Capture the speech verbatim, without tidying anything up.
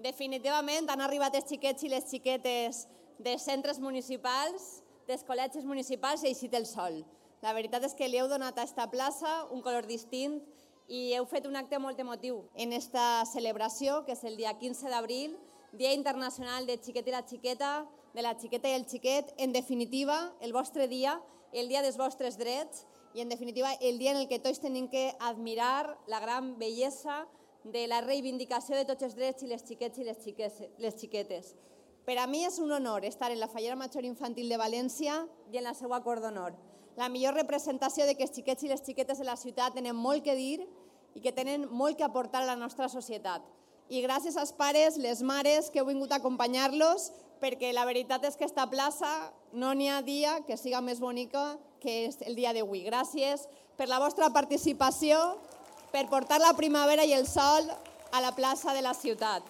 Definitivament han arribat els xiquets i les xiquetes dels centres municipals, dels col·legis municipals i ha eixit el sol. La veritat és que li heu donat a aquesta plaça un color distint i heu fet un acte molt emotiu en aquesta celebració, que és el dia quinze d'abril, Dia Internacional del Xiquet i la Xiqueta, de la xiqueta i el xiquet, en definitiva, el vostre dia, el dia dels vostres drets i, en definitiva, el dia en el que tots tenim que admirar la gran bellesa de la reivindicació de tots els drets i les xiquets i les xiquetes. Per a mi és un honor estar en la Fallera Major Infantil de València i en la seva cort d'honor. La millor representació de que els xiquets i les xiquetes de la ciutat tenen molt que dir i que tenen molt que aportar a la nostra societat. I gràcies als pares, les mares que heu vingut a acompanyar-los, perquè la veritat és que aquesta plaça no n'hi ha dia que siga més bonica que el dia d'avui. Gràcies per la vostra participació, per portar la primavera i el sol a la plaça de la ciutat.